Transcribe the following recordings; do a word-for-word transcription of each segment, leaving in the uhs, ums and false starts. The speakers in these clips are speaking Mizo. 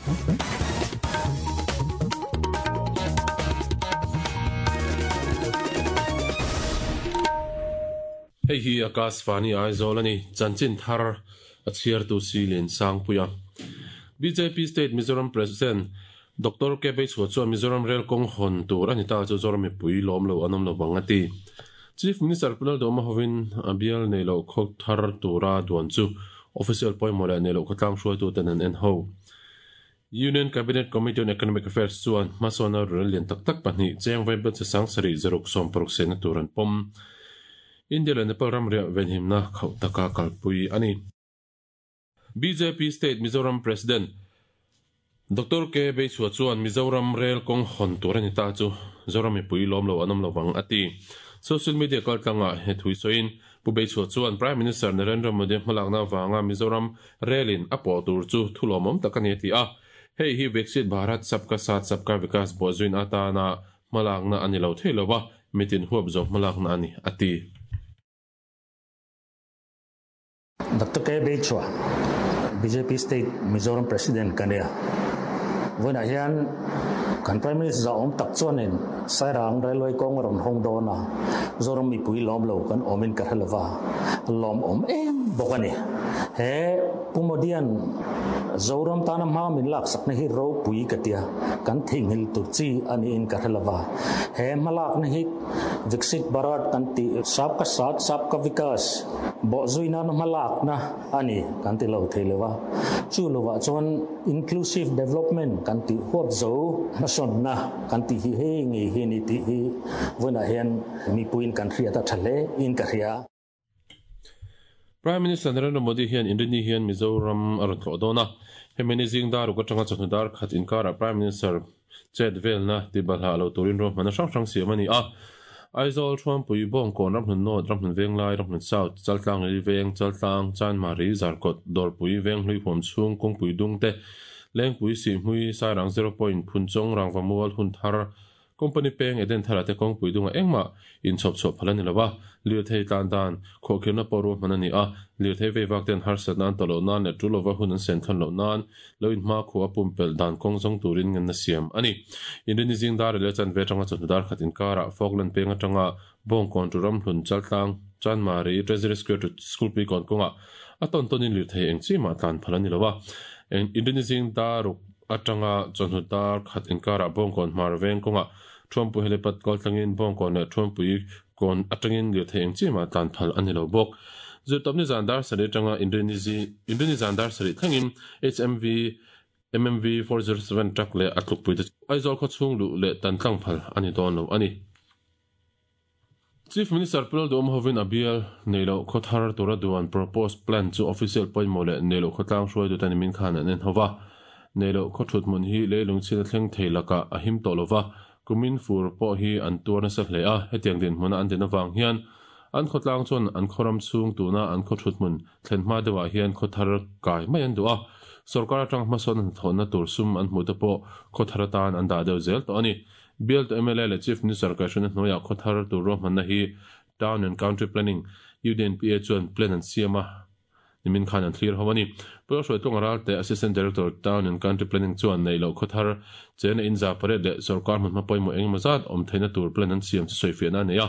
Hei hi Akashvani Aizawl ani chanchin thar a chhiar tu si len sang puia B J P State Mizoram President Doctor K Beichhua chuan Mizoram Rail kawng hawn tur ani ta chu Zoram mipui lawm lo an awm lo bang ati Chief Minister Punal Doma hovin a bial nei lo khawk thar tura duan chu official pawimawh leh nei lo khawtlang hruaitu ten an en ho Union Cabinet Committee on Economic Affairs chuan hmasawna rel lian tak tak pahnih cheng vaibel che sang sarih zaruk sawm paruk sehna tur an pawm India leh Nepal ram riah venhimna khauh taka kalpui ani B J P State Mizoram President Doctor K Beichhua chuan Mizoram Rail kawng hawn tur ani ta chu Zoram mipui lawm lo an awm lo bang ati Social media kaltlanga he thui soin Pu Beichhua chuan Prime Minister Narendra Modi hmalakna wanga Mizoram Railin a pawh tur chu thulawmawm tak ani ti a hei hi Viksit Bharat Sabka Saath Sabka Vikas bawhzuin atana hmalakna ani lo thei lova mitin huap zo hmalakna ani ati Doctor K Beichhua B J P State Mizoram President kania voina hian kan Prime Minister za om tak chuanin Sairang Railway kawng rawn hawng dawn a Zoram mipui lawm lo kan awmin ka hrelova lawm awm em bawk ani he Pu Modian Zoram tana hma min lak sakna hi ropui ka tia kan theinghil tur chi ani in ka hrelova he hmalakna hi Viksit Bharat kan ti Sabka Saath Sabka Vikas bawhzuina na hmalakna ani kan ti lo thei lova chu lova chuan inclusive development kan ti huap zo hmasawnna kan ti hi hei nge hi ni ti hi voina hian mipuiin kan hriat a tha hle in ka hria Prime Minister Narendra Modi hian Indini hian Mizoram a rawn tlawh dawn a hemi ni zing dar uk atanga chawhnu dar khat inkara Prime Minister chet velna tibalha lo turin ruahmanna hrang hrang siam ani a Aizawl Thuampui Bawngkawn Ramhlun North Ramhlun Venglai Ramhlun South Chaltlang Ri Veng Chaltlang Chanmari Zarkawt Dawrpui Venghlui huam chhung kawngpui dung te Lengpui Sihhmui Sairang zero point Phunchawng Rangvamual hun thar Company peng Eden thara te kawngpui dunga engmah inchhawp chhuah phal ani lova lirthei tlan dan khawhkhirna pawh ruahman ani a lirthei veivak ten harsat nan tawh loh nan leh tul lova hun an sen thlan loh nan lo in hma khu a pumpelh dan kawng zawng turin ngan na siam ani Indini zing dar leh chan ve atanga chawhnu dar khat inkara Falkland peng atanga Bawngkawn tu Ramhlun Chaltlang Chanmari Treasury Square to School pui kawn kawnga a tawn tawnin lirthei eng chi mah tlan phal ani lova Indini zing daruk atanga chawhnu dar khat inkara Bawngkawn hmar veng kawnga Thuampui helipad kaltlangin Bawngkawn leh Thuampui kawn atangin lirthei eng chi mah tlan phal ani lo bawk Zirtawpni zan dar sarih atanga Indini zan dar sarih thlengin H M V M M V four zero seven truck leh a tlukpui te Aizawl khaw chhung luh leh tan tlang phal ani dawn lo ani Chief Minister Punal Doma hovin a bial nei lo khaw thar tura duan proposed plan chu official pawimawh leh nei lo khawtlang hruaitu te ni min khan an en hova nei lo khaw thut hmun hi leilung chhina thleng thei lakah a him tawh lova kumin fur pawh hi an tuar nasa hle a hetiang din hmuna an din awang hian an khawtlang chuan an khawram chhung tuna an khaw thut hmun thlen hma deuhah hian khaw thar kai mai an duh a sarkar atang hmasawn an thawhna tur sum an hmuh te pawh khaw thar atan an dah deuh zel tawh ani bial to M L A leh Chief Minister kaihhruaina hnuaiah khaw thar tur ruahmanna hi Town and Country Planning U D N P A chuan plan an siam a nimin khan an thlir ho ani Pawlhruai Tlawng Ral te Assistant Director Town and Country Planning chuan nei lo khaw thar chena in za pariat leh sarkar hmun hma pawimawh engemaw zat awm theihna tur plan an siam chu sawifiahna a nei a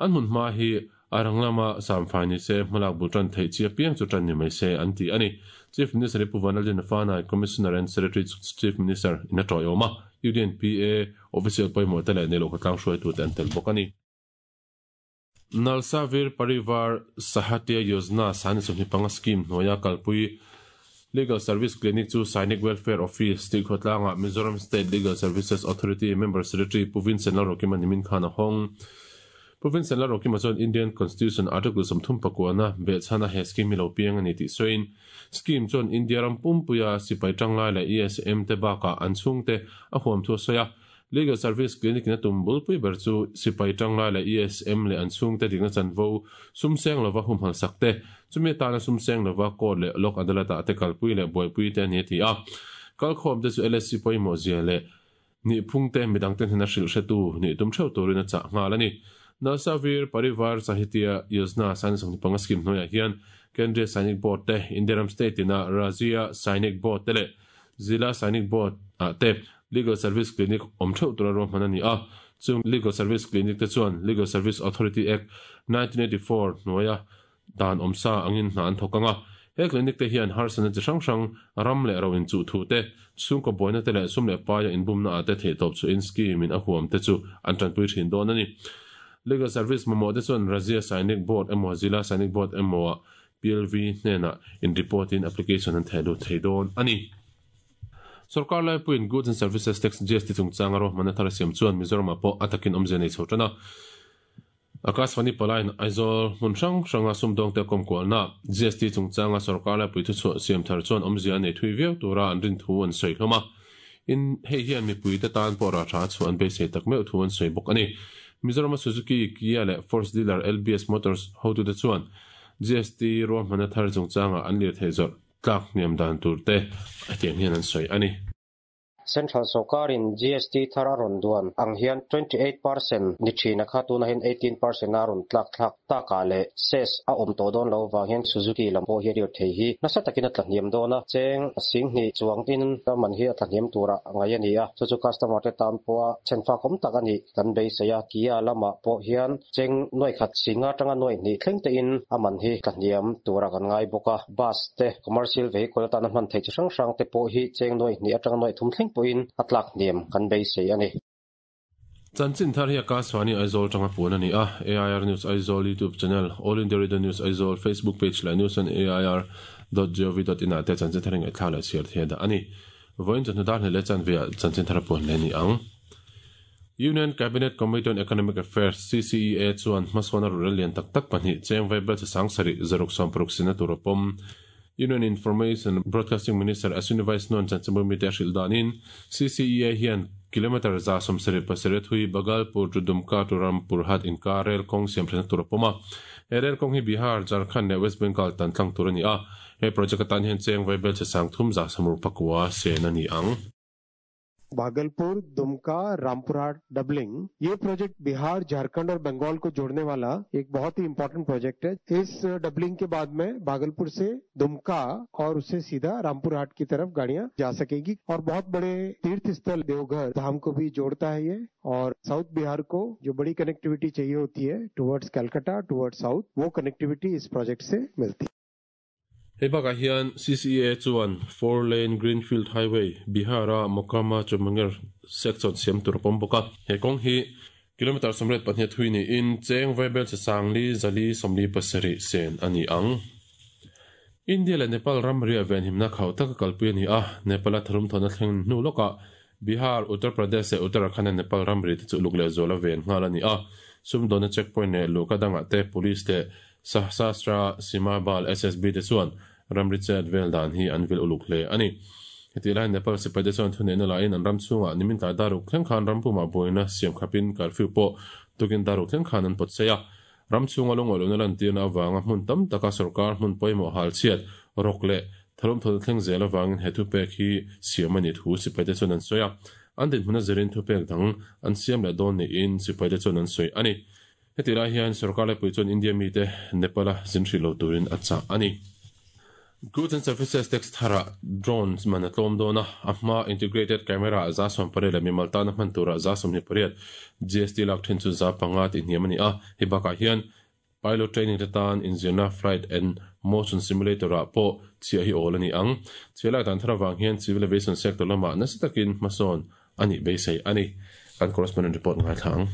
an hmun hma hi a rang lama samfai ni se hmalak bul tan theih chi apiang chu tan ni mai se an ti ani Chief Minister Pu Vanlalin Fanai Commissioner and Secretary Chief Minister in a tawiawm a U D N P A official pawimawh te leh nei lo khawtlang hruaitu te an tel bawk ani Nalsavir Parivar Sahayata Yojana sani sawmhnih panga scheme hnuaia kalpui Legal Service Clinic chu Sainik Welfare Office tih khawtlanga Mizoram State Legal Services Authority Member Secretary Pu Vincent Lalrokima nimin khan a hawng Pu Vincent Lalrokima chuan Indian Constitution Article sawmthum pakuana behchhana he scheme hi lo piang ani tih sawiin scheme chuan India ram pumpuia sipai tanglai leh E S M te bakah an chhungte a huam thu a sawi a Legal Service Clinic na tum bulpui ber chu sipai tanglai leh E S M leh an chhungte dikna chanvo sumseng lova humhal sakte chumi atana sumseng lova court leh lok adalat ah te kalpui leh buaipui te ani a ti a kalkhawm te chu L S C pawimawh zia leh ni phungte midang ten hna hrilh hretu ni tum theuh turin a chah nghal ani Nalsavir Parivar Sahayata Yojana sani sawmhnih panga scheme hnuaiah hian Kendriya Sainik Board te India ram state ina Rajya Sainik Board te leh Zila Sainik Board ah te Legal Service Clinic awm theuh tura ruahman a ni a. Chung Legal Service Clinic te chuan Legal Service Authority Act nineteen eighty four hnuaia dan awmsa angin hna an thawk anga. He clinic te hian harsatna chi hrang hrang ram leh ro inchuh thu te, chhungkaw buaina te leh sum leh paia inbumna ah te theih tawp chu in scheme in a huam te chu an tanpui thin dawn a ni. Legal Service mamawh te chuan Rajya Sainik Board emaw Zila Sainik Board emaw ah P L V hnenah in report in application an theh lut thei dawn a ni. Sorkar laipuiin Goods and Services Tax G S T chungchanga ruahmanna thar a siam chuan Mizoramah pawh a takin awmzia nei chho tan a. Akashvani palain Aizawl hmun hrang hranga sumdawngte kawmkualna G S T chungchanga sorkar laipui thuchhuah siam thar chuan awmzia a nei thui viau tura an rin thu an sawi hlawm a. In hei hian mipuite tan pawh rah tha chhuah an beisei tak meuh thu an sawi bawk a ni. Mizorama Suzuki, Kia leh Force dealer L B S Motors hotute chuan G S T ruahmanna thar chungchanga an lir theih zawrh tlak hniam dan tur te hetiang hian an sawi a ni. Central Sorkarin G S T thar a rawn duan ang hian twenty eight percent ni thina kha tuna hian eighteen percent a rawn tlak thlak takah leh cess a awm tawh dawn lo vang hian Suzuki lam pawh hi a lir thei hi nasa takin a tla hniam dawn a. Cheng sing hnih chuang in man hi a tla hniam tura ngai a ni a. Chu chu customer te tan pawh a chhenfa awm tak a ni kan beisei a. Kia lamah pawh hian cheng nuai khat singa tanga nuai hnih thleng te in a man hi tla hniam tura kan ngai bawk a. Bus te commercial vehicle atana hman theih chi hrang hrang te pawh hi cheng nuai hnih atanga nuai thum thleng pawhin a tlak hniam kan beisei a ni. Chanchin thar hi Akashvani Aizawl tanga puan a ni a. A I R News Aizawl YouTube channel, All India Radio News Aizawl Facebook page leh news on A I R dot gov dot in ah te chanchin thar hi ngaihthlak leh chhiar thei a dah a ni. Vawiin chawhnu dar hnih leh chanve ah chanchin thar a puan leh a ni ang. Union Cabinet Committee on Economic Affairs C C E A chuan hmasawn a rural lian tak tak pahnih cheng vaibel chi sang sarih zaruk sawm paruk sina tur a pawm. Union Information Broadcasting Minister Ashwini Vaishnaw chanchinbu mite a hrilh danin C C E A hian kilometer za sawm sarih pasarih thui Bhagalpur to Dumka to Rampurhat inkar rail kawng siam thatna tur a pawm a. He rail kawng hi Bihar, Jharkhand leh West Bengal tan tlang tur a ni a. He project atan hian cheng vaibel chi sang thum za samruk pakua sen a ni ang. Bhagalpur, Dumka, Rampurhat doubling, ये project Bihar, Jharkhand और बंगाल को जोड़ने वाला एक बहुत ही important project है। इस डबलिंग के बाद में भागलपुर से दुमका और उससे सीधा रामपुरहाट की तरफ गाड़ियां जा सकेंगी और बहुत बड़े तीर्थ स्थल देवघर धाम को भी जोड़ता है ये। और साउथ बिहार को जो बड़ी कनेक्टिविटी चाहिए होती है towards Calcutta, towards south, वो कनेक्टिविटी इस प्रोजेक्ट से मिलती है। Hei bakah hian C C E A chuan four lane Greenfield Highway Bihara Mokama to Munger section siam tur a pawm bawk a. He kawng hi kilometer sawmriat pahnih thui niin cheng vaibel chi sangli zali sawmli pasarih sen a ni ang. India leh Nepal ramri a venhimna khauh taka kalpui a ni a. Nepal a tharum thawna thleng hnu lawkah Bihar, Uttar Pradesh leh Uttarakhand a Nepal ramri te chu uluk leh zual a ven nghal a ni a. Sumdawna checkpoint leh luhka dangah te police te Sashastra Seema Bal S S B te chuan ramri chet vel dan hi an vil uluk hle a ni. Heti lai Nepal sipai te chuan thuneihna lahin an ram chungah nimin tlai daruk thleng khan rampumah buaina siam khapin curfew pawh tukin daruk thleng khan an pawt sei a. Ram chunga lungawluna lantirna awanga hmun tam taka sarkar hmun pawimawh hal chhiat rawk leh tharum thawna thleng zel awangin he thupek hi siam a ni thu sipai te chuan an sawi a. An dinhmun a zirin thupek dang an siam leh dawn niin sipai te chuan an sawi a ni. Heti lai hian sarkar laipui chuan India mi te Nepal a zin hrilh lo turin a chah a ni. Goods and Services Tax thara drones man a tlawm dawn a. A hma integrated camera za sawm pariat leh mimal tana hman tura za sawmhnih pariat G S T lak thin chu za panga tih hniam a ni a. Hei bakah hian pilot training te tan inzirna flight and motion simulator ah pawh chhiah hi awl a ni ang. Chhiah lai dan thar awang hian civil aviation sector lamah nasa takin hmasawn a nih beisei a ni. Kan correspondent report ngai thla ang.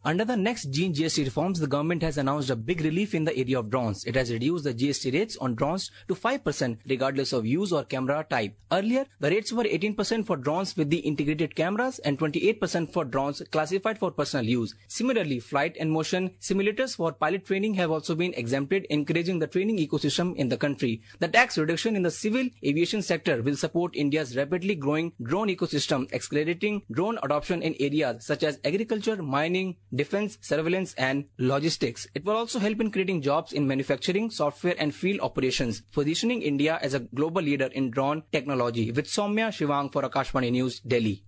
Under the next G S T reforms, the government has announced a big relief in the area of drones. It has reduced the G S T rates on drones to five percent regardless of use or camera type. Earlier, the rates were eighteen percent for drones with the integrated cameras and twenty-eight percent for drones classified for personal use. Similarly, flight and motion simulators for pilot training have also been exempted, encouraging the training ecosystem in the country. The tax reduction in the civil aviation sector will support India's rapidly growing drone ecosystem, accelerating drone adoption in areas such as agriculture, mining, defense, surveillance and logistics. It will also help in creating jobs in manufacturing, software and field operations, positioning India as a global leader in drone technology. With Soumya Shivang for Akashvani News, Delhi.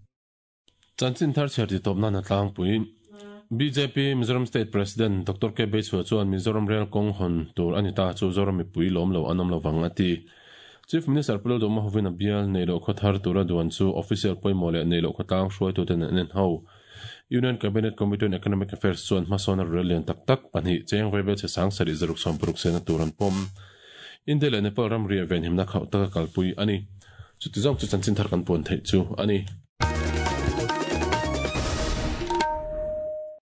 Chanchin thar chher ti topna na tlang pui B J P Mizoram State President Doctor K Beichhua chuan Mizoram Rail kawng hawn tur anita chu Zoram mipui lawm lo an awm lovang a ti. Chief Minister Pu Lalduhoma hovin a bial Neihloh khaw thar tura duan chu official pawimawh leh Neihloh khawtlang hruaituten an en ho. Union Cabinet Committee on Economic Affairs chuan hmasawnna rel lian tak tak pahnih cheng vaibelchhe sangsarih zaruk sawmparuk sena tur an pawm. India leh Nepal ramri ah venhimna khauh taka kalpui a ni. Chuti zawng chu chanchin thar kan puan theih chu a ni.